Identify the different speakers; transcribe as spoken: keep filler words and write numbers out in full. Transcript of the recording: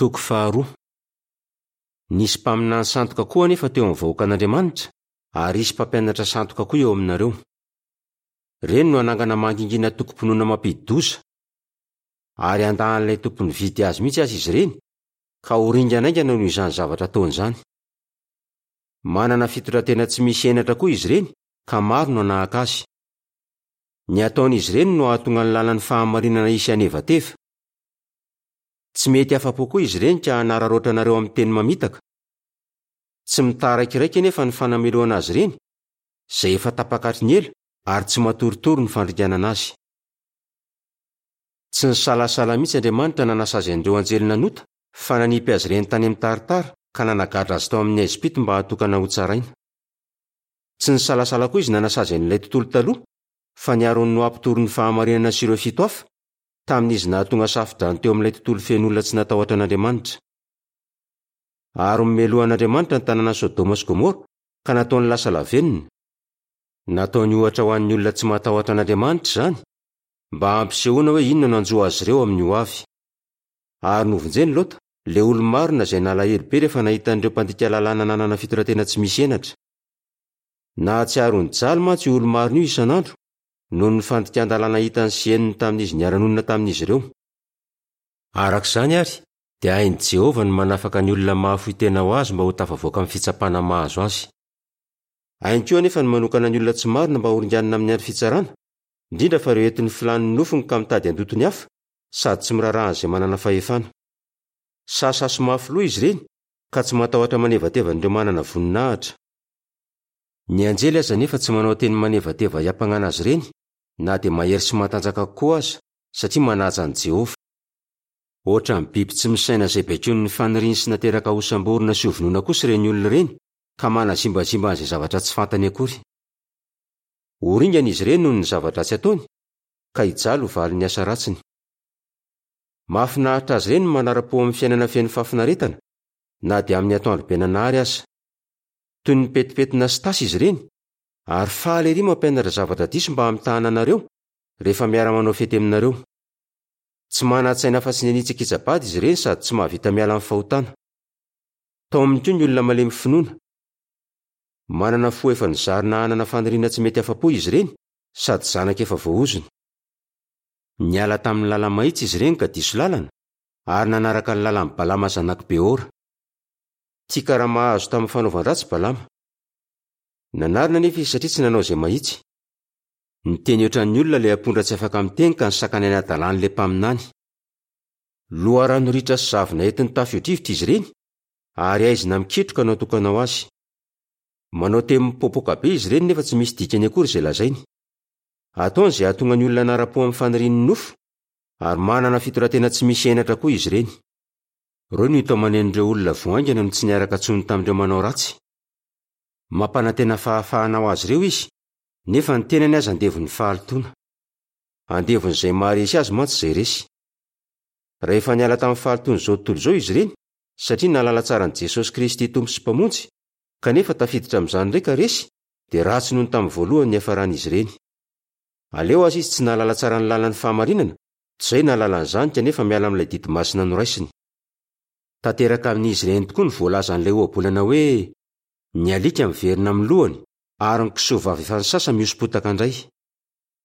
Speaker 1: Toko faharoa. Nisy mpaminany sandoka koa anefa teo amin'ny vahoakan'Andriamanitra, ary hisy mpampianatra sandoka koa eo aminareo. Ireny no hanangana mangingina tokom-pinoana mampidi-doza. Ary handà an'ilay tompo nividy azy mihitsy aza izy ireny, ka ho ringana haingana noho izany zavatra ataony izany. Manana fitondran-tena tsy misy henatra koa izy ireny, ka maro no hanahaka azy. Ny ataon'izy ireny no hahatonga ny lalan'ny fahamarinana hisy hanevateva. Tsy mety afa-po koa izy ireny ka hanararaotra anareo amin'ny teny mamitaka. Tsy mitaraikiraiky anefa ny fanamelohana azy ireny, izay efa tapaka hatry ny ela ary tsy matoritory ny fandringanana azy. Tsy nisalasala mihitsy Andriamanitra nanasazy an'ireo anjely nanota, fa nanipy azy ireny tany amin'ny taritara ka nanagadra azy tao amin'ny haizim-pito mba hatokana hotsaraina. Tsy nisalasala koa izy nanasazy an'ilay tontolo taloha, fa niaro an'i Noa mpitory ny fahamarinana sy ireo fito hafa, tamin'izy nahatonga safodrano teo amin'ilay tontolo feno olona tsy natahotra an'Andriamanitra. Ary nomelohan'Andriamanitra ny tanànan'i Sodoma sy Gomora ka nataony lasa lavenona. Nataony ohatra ho an'ny olona tsy matahotra an'Andriamanitra izany, mba hampisehoana hoe inona no hanjo azy ireo amin'ny hoavy. Ary novonjeny Lota, ilay olo-marina izay nalahelo be rehefa nahita an'ireo mpandika lalàna nanana fitondran-tena tsy misy henatra. Nahatsiaro nijaly mantsy io olo-marina io isan'andro, noho ny fandikan-dalàna hitany sy henony tamin'izy niara-nonina tamin'izy ireo. Araka izany àry, dia hain'i Jehovah ny manafaka ny olona mahafoy tena ho azy mba ho tafavoaka amin'ny fitsapana mahazo azy. Hainy koa anefa ny manokana ny olona tsy marina mba horinganina amin'ny andro fitsarana, indrindra fa ireo entin'ny filàn'ny nofony ka mitady handoto ny hafa, sady tsy miraharaha an'izay manana fahefana. Sasasy mafy loha izy ireny, ka tsy matahotra manevateva an'ireo manana voninahitra. Ny anjely aza anefa tsy manao teny manevateva hiampangana azy ireny, na dia mahery sy matanjaka kokoa aza, satria manaja an'i Jehovah. Hoatran'ny biby tsy misaina izay baikoin'ny faniriany sy nateraka hosamborina sy hovonoina kosa ireny olona ireny, ka manazimbazimba an'izay zavatra tsy fantany akory. Ho ringana izy ireny noho ny zava-dratsy ataony, ka hijaly ho valin'ny asa ratsiny. Mahafinaritra azy ireny ny manara-po amin'ny fiainana feno fahafinaretana, na dia amin'ny atoandro be nanary aza. Toy ny petipetina sy tasy izy ireny, ary faly ery mampianatra zavatra diso mba hamitahana anareo, rehefa miara-manao fety aminareo. Tsy manan-tsaina afa-tsy ny hanitsakitsa-bady izy ireny sady tsy mahavita miala amin'ny fahotana. Taominy koa ny olona malemy finoana. Manana fo efa nozarina hanana faniriana tsy mety afa-po izy ireny, sady zanaka efa voaozona. Niala tamin'ny lala-mahitsy izy ireny ka diso lalana, ary nanaraka ny lalan'i Balama zanak'i Beora. Tia karama azo tamin'ny fanaovan-dratsy Balama. Nanarina anefa izy satria tsy nanao izay mahitsy. Niteny ohatran'ny olona ilay ampondra tsy afaka miteny ka nisakana ny hadalan'ilay mpaminany. Loharano ritra sy zavona entin'ny tafio-drivotra izy ireny, ary haizina mikitroka no atokana ho azy. Manao teny mipoapoaka be izy ireny nefa tsy misy dikany akory izay lazainy. Ataony izay hahatonga ny olona hanara-po amin'ny fanirian'ny nofo, ary manana fitondran-tena tsy misy henatra koa izy ireny. Ireo no itaomanen'ireo olona vao haingana no tsy niaraka intsony tamin'ireo manao ratsy. Mampanantena fahafahana ho azy ireo izy, nefa ny tenany aza andevon'ny fahalotoana. Andevon'izay maharesy azy mantsy izay resy. Rehefa niala tamin'ny fahalotoan'izao tontolo izao izy ireny, satria nahalala tsara an'i Jesosy Kristy Tompo sy Mpamonjy, kanefa tafiditra amin'izany indray ka resy, dia ratsy noho ny tamin'ny voalohany niafaran'izy ireny. Aleo aza izy tsy nahalala tsara ny lalan'ny fahamarinana, toy izay nahalala an'izany kanefa miala amin'ilay didy masina noraisiny. Tanteraka amin'izy ireny tokoa ny voalazan'ilay ohabolana hoe: ny alika miverina amin'ny lohany ary ny kisoa vavy efa nisasa mihosom-potaka indray.